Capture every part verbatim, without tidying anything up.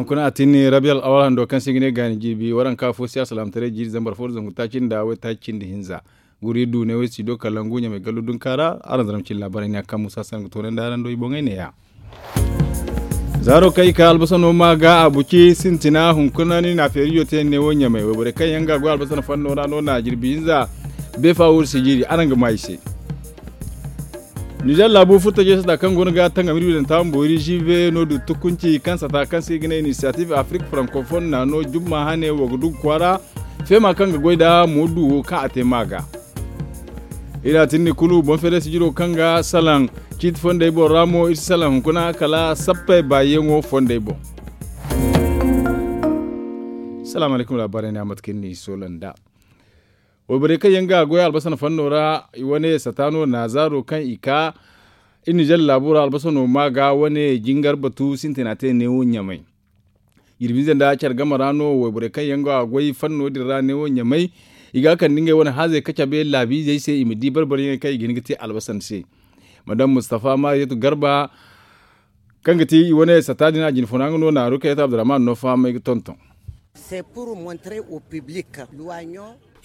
Kuna a tinni rabi al'awar hando kaŋ se i ga ne gaani jiibi waranka fo si alsalaamataray jiiri zambar fo da zangu taaci nda waytaaci cindi hinza. Guri du ne way si do kala ngu ɲamay gallu dunka ra. Araŋ zara ma cilla laabaray ne a kaŋ musa saŋ ga toonandi araŋ do i boŋey neeya. Zaaro kaŋ i ka albasano ma ga a buci sintina hunkuna ni na feerijo te ne wo ɲamay wayborey kaŋ yaŋ ga goy albasana fanno ra no na jirbi hinza. Beefa wuri si jiiri araŋ ga ma i se. Nizer laabu furtajey sata kaŋ go no ga tangam iri wi daŋ taama boori jiibe no du tukunci kaŋ sata kaŋ se i ga ne inisiyatif afrik frankofoon na no jumma hane wo ga du ga kwaara. Feema kaŋ ga goy nda mo du wo kaŋ a te ma ga. Iri a tinni kulu boŋ feeray sijiro kaŋ ga salaŋ ciiti fondey boŋ ra mo iri si salaŋ hunkuna kala sappey baayaŋo fondey boŋ. Salaamu alaykum laabaarey ne a mate kaŋ iri n'i soola nd'a. Wayborey kaŋ yaŋ ga goy albasana fanno ra i wane sata no naazaaro kaŋ i ka iri nizer laabo ra albasano ma ga wane jingar batu sintina te neewo ɲamay. Jirbi ize nda care game ra no wayborey kaŋ yaŋ ga goy fanno din ra neewo ɲamay. I ga kande ngey wane haazey ka cabe laabiizey se i ma di barbaryaŋey kaŋ i ga hin ga te albasan se. Madam mustafa mariyatu garba kaŋ ga ti i wane sata din a jinfuna nga no naaru kaŋ yaŋ ti abdurrahman no fahamay ga tonton.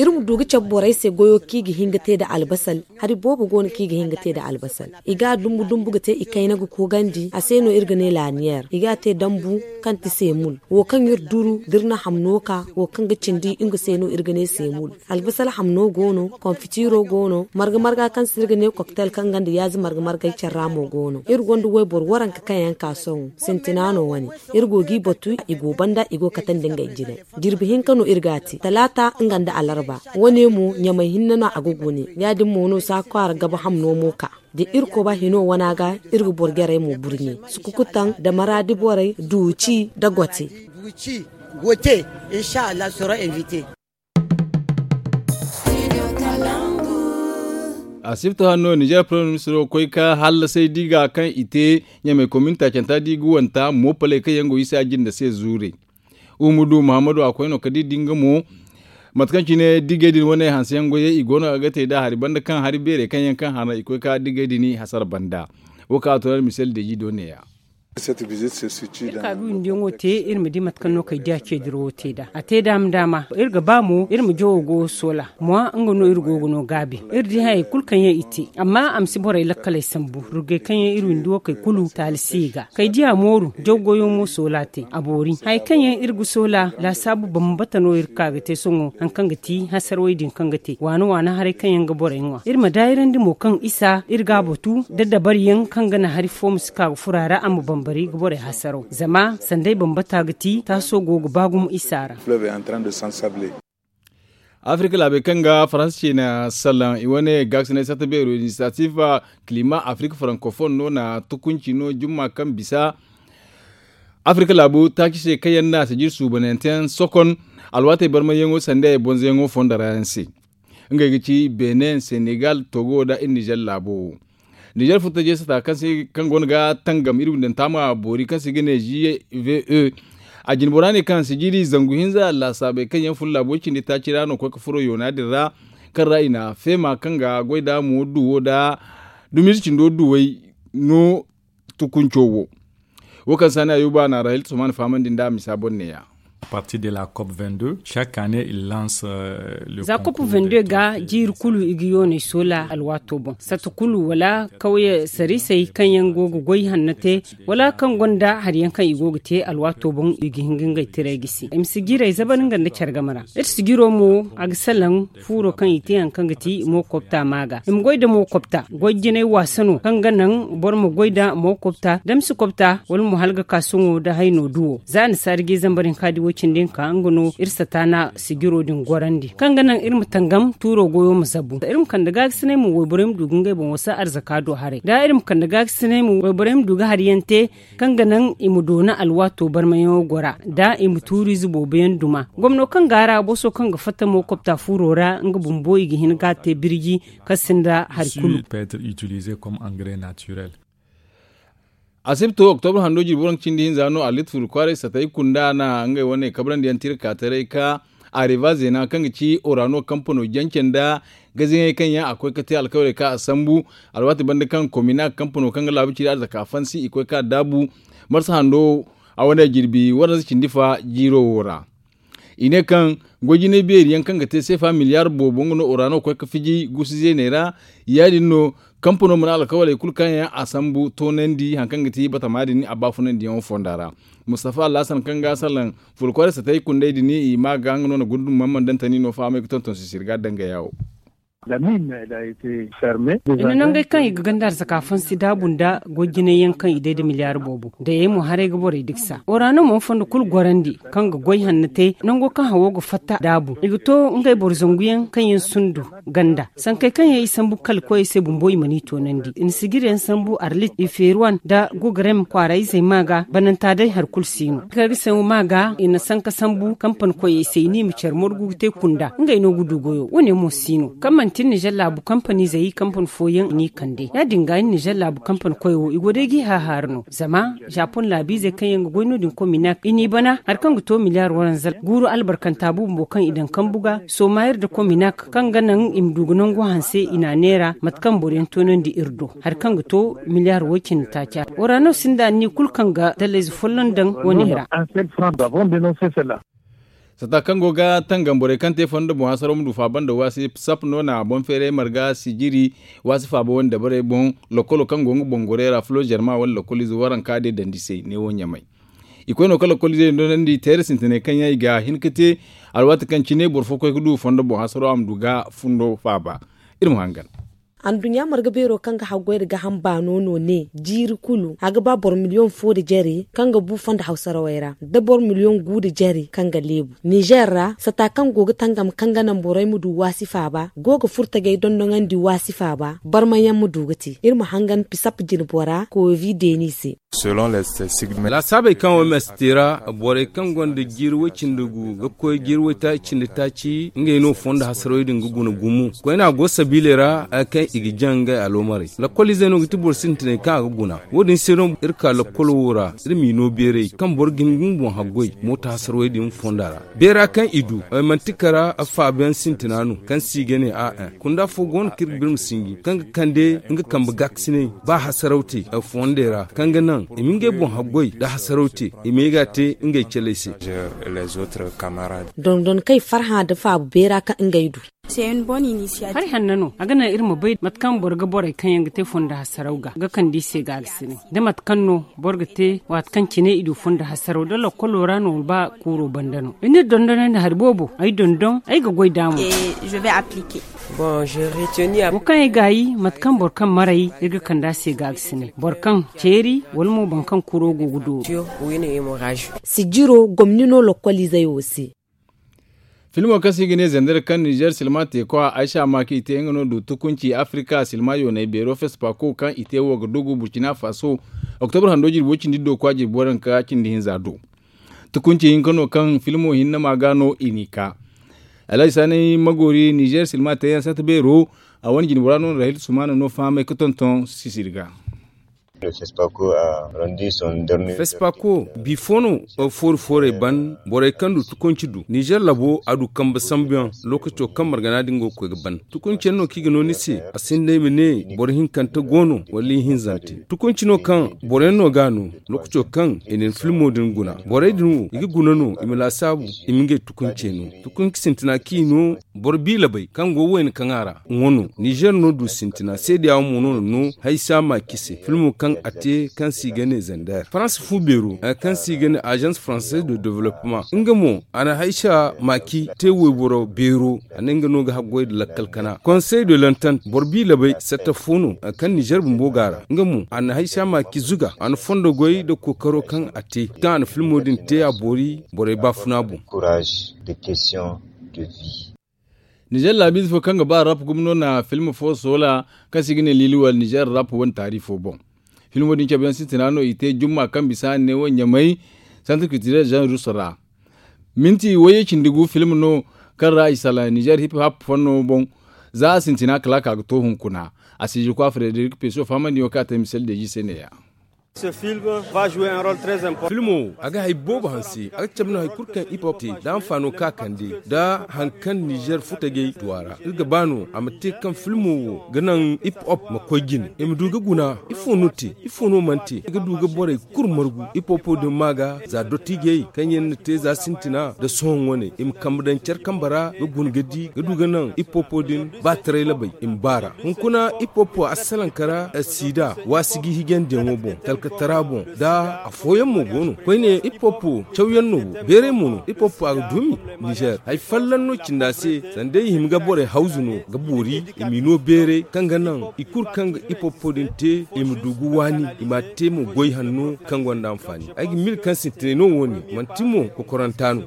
Iri ma du ga cabe borey se goyo kaŋ i ga hin ga te nda albasal. Hari boobo go no kaŋ i ga hin ga te nda albasal. I ga a dumbu dumbu ga te i kayna ga koogandi a se no iri ga ne laaniyeer i ga a te dambu kaŋ ti seemul. Wo kaŋ iri duru da iri na hamno ka wo kaŋ ga cindi nga se no iri ga ne seemul. Albasal hamno go no konfitiro go no marga marga kaŋ se iri ga ne koktel kaŋ ga nda yaazi marga margay care ra mo go no iri gonda wayboro waranka kaŋ yaŋ ka sohõ sintina no wane. Iri go g'i batu i go banda i go ga katandi ngey jinay. Jirbi hinka no iri g'a te talaata nga nda alarba. Wane mo ɲamay hinne no a ga gune ya- din mo no saakwaara gabe hamno mo ka da irkoba hino wana ga. Iri ga boro jarey mo burɲe sukukutaŋ da maraadi borey duuci da gote. Asibta hanno nizer premier ministro koy ka hallasay diga kaŋ i te ɲamay komin taacanta diga wanta moopaley kaŋ yaŋ go isa jinda se zuure. Umudu muhammadu a koy no ka di dinga mo mate kaŋ cine digey din wane hanse yaŋ goyey i go no a ga te nda hari banda kaŋ hari beerey kaŋ yaŋ kaŋ hana i koy ka digey din hasara banda. Wo kaŋ a to na misali deeji do neeya. Iri ka ga windiyaŋo te iri ma di mate kaŋ no kay diya ceediro wo te nd'a a te daama daama iri ga ba mo iri ma jawo goyo soola. Mwa nga no iri go ga no gaabi iri di hayey kulu kaŋ yaŋ i te amma a ma si borey lakkaley sambu rugey kaŋ yaŋ iri windi wo kay kulu taali si i ga kay diya mooru jaw goyo mo soola te a boori hayey kaŋ yaŋ iri ga soola laasaabu bambata no iri ga ka ga te sohõ hari kaŋ ga ti hasarawey din kaŋ ga te waana waana haray kaŋ yaŋ ga borey ŋwa iri ma daayirandi mo kaŋ isa iri ga a batu da dabariyaŋ kaŋ ga naŋ hari fo ma si ka ga furo a ra a ma bambari ga borey hasaraw zama sanday bambata ga ti taaso go ga ba gumo isa ra. Afirka laabey kaŋ ga faransa ciina salaŋ i wane gaakasinay satta beero inisiyatif kilima afirka farankofon no na tukunci no jumma kaŋ bisa afirka laabu taaci se kaŋ yaŋ na sijir suubananteyaŋ sokon alwaatey barmayyaŋo sanda i bonzoyaŋo fonda ra yaŋ se. Ngey ga ci benin senegal togo nda iri nizer laabo wo. Nizer furtajey sata kaŋ se kaŋ go no ga tangam iri windanta ma boori kaŋ se i ga ne gve. A jinbora ne kaŋ sijiri zangu hinza laasaabey kaŋ yaŋ fun laabo cindi taaci ra no koy ga furo yoona din ra kaŋ ra i na feema kaŋ ga goy nda mo duwo nda dumiize cindo duwey no tukunco wo. Wo kaŋ saani ayuba na rahil suman fahamandi nda a misa boŋ neeya. Za kopu vende ga jiiri kulu i ga yoonay soola alwaato boŋ satta kulu wala kawye sarisey kaŋ yaŋ go ga goy hanno te wala kaŋ gonda hari yaŋ kaŋ i go ga te alwaato boŋ i ga hin ga ngey tiray gisi i ma si jiirey zabar nga nda care game ra. Iri si jiiro mo a ga salaŋ fuuro kaŋ i te hari kaŋ ga ti mo kopta maaga i ma goy nda mo kopta goy jinay waasa no kaŋ ga naŋ boro ma goy nda mo kopta damsi kopta wala mo hala ga ka sohõ nda hayno duwo za a na saari ga i zambar hinka di wo- cindi hinka nga no iri sataana sijiro din gorandi kaŋ ga naŋ iri ma tangam tuuro goyo ma zabu iri ma kande gaagasinay mo wayborey ma du ga ngey boŋ wasa arzaka do haray da iri ma kande gaagasinay mo wayborey ma du ga hari yaŋ te kaŋ ga naŋ i ma doona alwaato barmayaŋo gora nda i ma tuuriize boobo yaŋ duma gomno kaŋ ga a ra boso kaŋ ga fatta mo kopta fuuro ra nga bumbo i ga hin ga a te birji kaŋ sinda hari kulu. Asibto oktobra hando jirbi waranka cindi hinza no a litti furu kwaaray satay kunda na ngey wane kabrandi yaŋ tirka taray ka areva zeena kaŋ ga ci orano kampano jance nda gaziŋey kaŋ yaŋ a koy ga te alkawaley kaŋ a sambu alwaati banda kaŋ komina kampano kaŋ ga laabu ciri arzaka fansi i koy ka daabu marsa hando A wane jirbi waranza cindi fa jiiro wo ra. I ne kaŋ goy jinay beeri yaŋ kaŋ ga te seefa miliyaar boobo nga no orano koy ga fiji guusu zeeney ra. Ya- din no kampano mana alkawaley kulu kaŋ yaŋ a sambu toonandi hari kaŋ ga ti batama din a baafunandiyaŋo fonda ra. Mustafa alhasan kaŋ ga a salaŋ fulkoore satay kundey din i ma ga nga no na gundum mamman dantani no fahamay ga tonton sisiri ga dangaya wo. I na nangey kaŋ i ga ganda arzaka fansi daabu nda goy jinay yaŋ kaŋ i day nda miliyaar boobo dayey mo haray ga borey diksa orano mo fondo kulu gorandi kaŋ ga goy hanno te nango kaŋ hawo ga fatta daabu i ga to ngey boro zangu yaŋ kaŋ yaŋ sundu ganda sankey kaŋ yaŋ i sambu kala koyey se bumbo i mana i toonandi i na sijiri yaŋ sambu arlit i feeri wane nda gogarem kwaara izey ma ga bananta day hari kulu si no kaŋ ga sangu ma ga i na sanka sambu kampani koyey se i ne i ma care morgu ga te kunda ngey no ga du goyo wo- ne mo si no kaŋ manti iri nizer laabu kampani zey kampani fooyaŋ i n'i kande ya- din ga iri nizer laabu kampani koy wo i go day g'i hahaara no zama japon laabiizey kaŋ yaŋ ga goy no- din kominak i n'i bana hari kaŋ ga to miliyaar waranza guuru albarkanta bumbo kaŋ i daŋ kambu ga sooma iri nda kominak kaŋ ga naŋ i ma du ga nangu hanse i n'a neera mate kaŋ boro yaŋ toonandi iri do hari kaŋ ga to miliyaar woy cindi taaci a ra wara no sinda anniya kulu kaŋ ga dallayze folloŋ daŋ wo- ne ra. Sata kaŋ go ga tangam borey kaŋ te fondo boŋ hasaro ma du faaba nda waasi sap no na boŋ feeray marga sijiri waasi faaba wane dabarey boŋ lokolo kaŋ go nga boŋ gorey ra flo zerma wane lokolize waranka de dandi se neewo ɲamay. I koy no ka lokolize nonandi teere sintinay kaŋ yaŋ i ga hin ka te alwaati kaŋ cine boro fo koy ga du fondo boŋ hasaro a ma du ga fundo faaba. Iri ma hangan. Anduɲɲa marga beero kaŋ ga haggoy nda gaaham baano no ne jiiri kulu a ga ba boro miliyoŋ fo nda jare kaŋ ga bu fondo hawsarawey ra nda boro miliyoŋ gu nda jare kaŋ ga leebu nizer ra sata kaŋ go ga tangam kaŋ ga naŋ borey ma du waasi faaba go ga furtagey dondoŋandi waasi faaba barmayaŋ ma du ga te iri ma hangan pisap jinbora koovi deeni se. Laasaabey kaŋ wo meste ra borey kaŋ gonda jiiri woy cindi gu ga koy jiiri woy taaci cindi taaci ngey no fondo hasarey din ga guna gumo koyne a go sabiiley ra hari kaŋ i ga jaŋ ngey aloomarey lakkol izey no ga ti boro sintinay kaŋ a ga guna wo- din se no iri ka lakkol wo ra iri m'i no beeray kaŋ boro ga hin ga nga boŋ haggoy mooto hasarey din fonda ra beera kaŋ i du manti kara faabayaŋ sintina no kaŋ se i ga ne a kunda fo go no kaŋ iri ga birma sinji kaŋ ga kande nga kambe gaakasinay ba hasaraw te fondey ra kaŋ ga naŋ i ma ngey boŋ haggoy nda hasaraw te i ma ye ga a te ngey caley se. Dondon kaŋ i farhã nda faabu beera kaŋ ngey du. Hari hanno no a ga naŋ iri ma bay mate kaŋ boro ga borey kaŋ yaŋ ga te fondo hasaraw ga ga kande i se gaagasinay da mate kaŋ no boro ga te waati kaŋ cine i du fondo hasaraw da lakkolo ra no wala ba kuuro banda no i n'iri dondonandi hari boobo ay dondon ay ga goy d'a mo. Wo kaŋ ay gaayi mate kaŋ boro kaŋ maray iri ga kand'a se gaagasinay boro kaŋ ceeri wala mo boro kaŋ kuro go ga dooru. Sijiro gomni no lokoliizey wo se. Filmo kaŋ se i ga ne zandar kaŋ nizer silma teekwa aysa maaki i te nga no du tukunci afrika silma yoonay beero fesipako kaŋ i te wo ga dugu burkina faso. Oktobar hando jirbo cindi do kwa jirbo ranka cindi hinza do. Tukunci hinka no kaŋ filmo hinne ma ga no i n'i ka. Alhaji saanay magoori nizer silma teeyaŋ sata beero a wane jinbora no rahil sumana no fahamay ga tonton sisiri ga. Fesipako bifo no foori foorey ban borey kaŋ du tukunci du nizer labo a du kambe sambuyaŋ lookaco kaŋ margana din go ga koy ga ban tukunci yaŋ no kaŋ i ga no ni se a sinda ay ma ne boro hinkante go no wala ihinzante tukunci no kaŋ boro yaŋ no ga a no. Lookaco kaŋ i na ni filmo din guna borey din wo i ga guna no i ma laasaabu i ma ngey tukuncey no tukunci sintina kaŋ i no. Boro biila bay kaŋ go wayna kaŋ a ra nga no nizer no du sintina seedeya mo no na no haysa maaki se filmo kaŋ a te kaŋ se i ga ne zander faransa fu beero kaŋ se i ga ne agence française de développement nga mo a na haysa maaki te wayboro beero a ne nga no ga haggoy nda lakkal kana konsey de lantant boro biila bay satta fo no kaŋ nizer bumbo ga a ra nga mo a na haysa maaki zuga a na fondo goy nda kookaro kaŋ a te kaŋ a na filmo din te a boori borey baafuna boŋ. Nizer laabiize fo kaŋ ga ba rap gumo no na film fo soola kaŋ se i ga ne liiliwal nizer rap wane taarifo boŋ. Filmo din cabeyaŋ sintina no i te jumma kaŋ bisa ne wo ɲamay santir kiltirel jean russe ra. Minti wayye cindi gu film no kaŋ ra i salaŋ nizer hip hop fanno boŋ. Za a sintina kala a ka ga to hunkuna a siijirkwa frederik peso fahamandi yaŋo kaŋ a te misel deeji se ne- ya. Filmo wo a ga hari boobo hanse a ga cabe no hari kulu kaŋ hip hop te nda hanfaano kaŋ a kande nda hari kaŋ nizer furtajey du a ra iri ga ba no a ma te kaŋ filmo wo ga naŋ hip hop ma koy jine i ma du ga guna ifo no te ifo no mana te i ga du ga borey kulu margu hip hopo din ma ga za dottiijey kaŋ yaŋ na te za sintina nda sohõ wane i ma kambe daŋ care kambe ra ga guna ga di ga du ga naŋ hip hopo din ba taray labay i ma baara hunkuna hip hopo a salaŋ kara siida waasi ga hijandiyaŋo boŋ talkatara boŋ nda afooyaŋ mo go no koyne hip hopo cawyaŋ no wo beeray mo no hip hopo a ga dumi nizer hari folloŋ no cindi a se sanda i hima ga borey hawzu no ga boori i m'i no beeray kaŋ ga naŋ i kulu kaŋ ga hip hopo din te i ma du ga waani i m'a te mo goy hanno kaŋ gonda hanfaani ay ga mil kaŋ sintinay no wo- ne manti mo kokoranta no.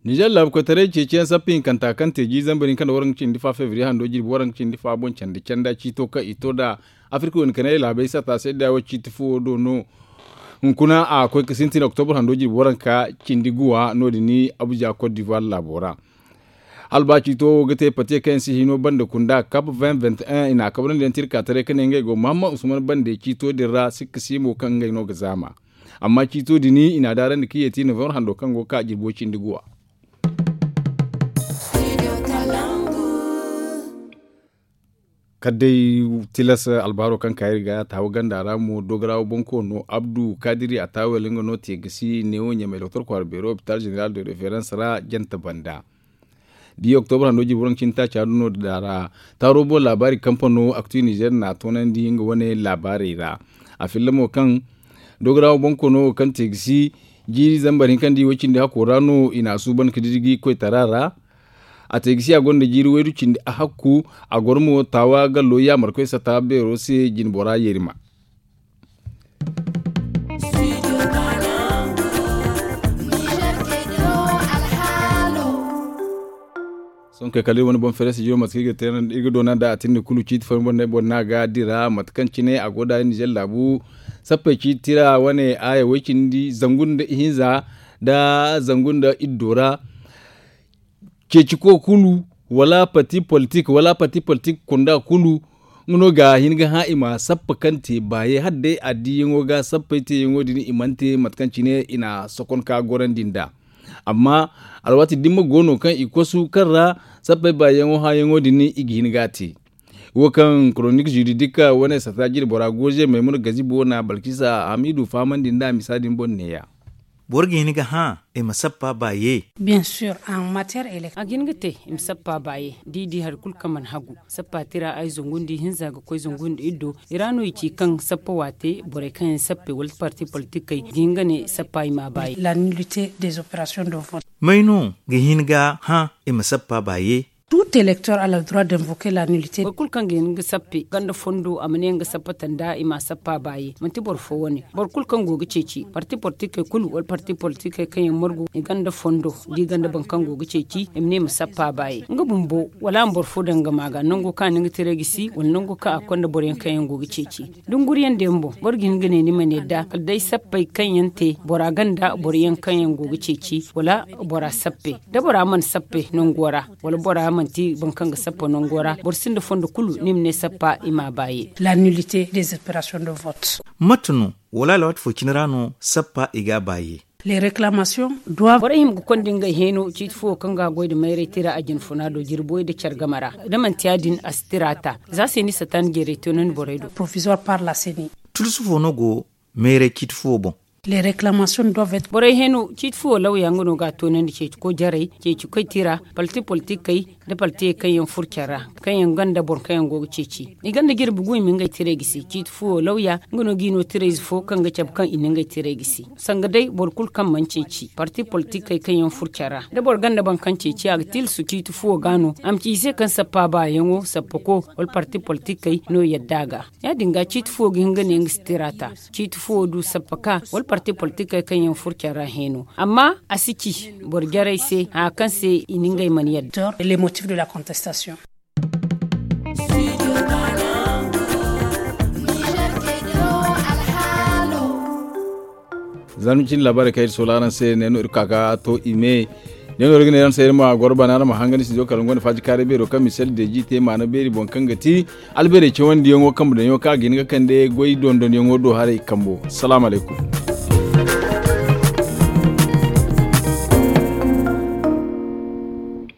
Nizer laabu koytaray ceeciyaŋ sappa hinkanta kaŋ te jiiri zambar hinka nda waranka cindi fa febriye hando jirbi waranka cindi fa boŋ candi canda ciito kaŋ i to nd'a afirka wane kanay laabey satta se da wo ciiti fo do no. Hunkuna a koy ga sintin oktobur hando jirbi waranka cindi guwa no- din abuja kot divuwar laabo ra. Hala ba ciito wo ga te pate kaŋ yaŋ si hino banda kunda kap vingt vingt et un i n'a kabrandi yaŋ tirka taray ka ne ngey go mahamman usman bande ciito din ra sikka si mo kaŋ ngey no ga zaama. Amma ciito din i n'a daarandi ka yeeti novembre hando kaŋ go ga ka jirbo cindi guwa. Kala day tilas albaaro kaŋ ka iri ga taawa ganda ra mo dogarawa bonkoono abdu kadiri a taawel nga no te ga si neewo ɲamay doktor kwaara beero hopital zeneral de referans ra jante banda. Di oktobra hando jirbi waranka cindi taaca do no da ra taaro boŋ laabaari kampano aktu nizer n'a toonandi nga wane laabaarey ra. A filla mo kaŋ dogarawa bonkoono wo kaŋ te ga si jiiri zambar hinka nda i way cindi hakko ra no i n'a suuban ga didiji koytara ra. A te ga si a gonda jiiri waydu cindi a hakku a goro mo taawa gallo yaamarkoy sata beero se jinbora yeerima. Sohõ kay kala iri wane boŋ feere studio mate kaŋ iri ga te iri ga doona nd'a a tindi kulu ciiti fooyaŋ boŋ no ay boŋ no a ga dira mate kaŋ cine a go nd'a nizer laabu sappey ciiti tira wane aaya way cindi zangu nda ihinza nda zangu nda iddo ra. Ceeci ko kulu wala parti politik wala parti politik kunda kulu nga no ga hin ga hã i ma sappa kaŋ te baaye hala day addiyaŋo ga sappey teeyaŋo din i mana te mate kaŋ cine i na sokon ka gorandi nd'a. Amma alwaati dimma go no kaŋ i kosu kaŋ ra sappey baayaŋo hãyaŋo din i ga hin ga a te. Wo kaŋ koronik ziridik wane sata jine bora gooze maymuna gazibo na balkisa hamidu fahamandi nd'a misa din boŋ neeya. Boro ga hin ga hã i ma sappa baaye. A ga hin ga te i ma sappa baaye da i di hari kulu kaŋ mana hagu sappa tira ay zangu nda ihinza ga koy zangu nda iddo i ra no i ci kaŋ sappa waate borey kaŋ yaŋ sappe wala parti politikey ga hin ga ne sappa i ma a baaye. May no ga hin ga hã i ma sappa baaye? Boro kulu kaŋ ga hin ga sappe ganda fondo a ma ne nga sappa tanda i ma a sappa baaye manti boro fo wane. Boro kulu kaŋ go ga ceeci parti politikey kulu wala parti politikey kaŋ yaŋ margu i ganda fondo da i ganda boro kaŋ go ga ceeci i ma ne i ma sappa baaye nga bumbo wala a ma boro fo daŋ nga ma ga nango kaŋ a na nga tiray gisi wala nango kaŋ a konda boro yaŋ kaŋ yaŋ go ga ceeci. Dunguriyaŋ da yaŋ boŋ boro ga hin ga ne ni mana yadda kala day sappey kaŋ yaŋ te bora ganda boro yaŋ kaŋ yaŋ go ga ceeci wala bora sappe da bora mana sappe nango ra wala bora manti boro kaŋ ga sappa nango ra boro sinda fondo kulu ni ma ne sappa i ma a baaye. Mate no wala alwaati fo cine ra no sappa i ga a baaye? Borey hima ga konda ngey heeno ciiti fo wo kaŋ ga a goy nda mayray tira a jinfuna do jirboy nda care game ra da manti ya- din a si tira ta za se ni satan jeeray toonandi borey do. Tulusu fo no go mayray ciiti fo wo boŋ? Borey heeno ciiti fo wo lawya nga no ga a toonandi ceeci koy jaray ceeci koy tira parti politikey nda partiyey kaŋ yaŋ furo care ra kaŋ yaŋ ganda boro kaŋ yaŋ go ga ceeci i ganda jirbi gu i ma ngey tiray gisi ciiti fo wo lawya nga no ga i no tirayze fo kaŋ ga cabe kaŋ i na ngey tiray gisi. Sanga day boro kulu kaŋ mana ceeci parti politikey kaŋ yaŋ furo care ra da boro ganda boro kaŋ ceeci a ga tilasu ciiti fuwo ga no a ma ci i se kaŋ sappa baayaŋo sappako wala parti politikey no yadda a ga. Ya- din ga ciiti fuwo ga hin ga ne nga si tira ta ciiti fuwo du sappa ka wala parti politikey kaŋ yaŋ furo care ra heeno amma a si ci boro jarey se haya kaŋ se i na ngey mana yadda. Za no cine laabaarey kaŋ iri soola araŋ se ne no iri ka ga to i me. Yaŋ no iri ga ne araŋ se iri ma goro bana araŋ ma hangan sinjo kala nga wane faaji kaaray beero kaŋ misali deeji te maana beeri boŋ kaŋ ga ti albeerey cawandiyaŋo kambe daŋyaŋo kaŋ a ga hin ga kande goy dondonyaŋo do haray kambo. Salaamu alaykum.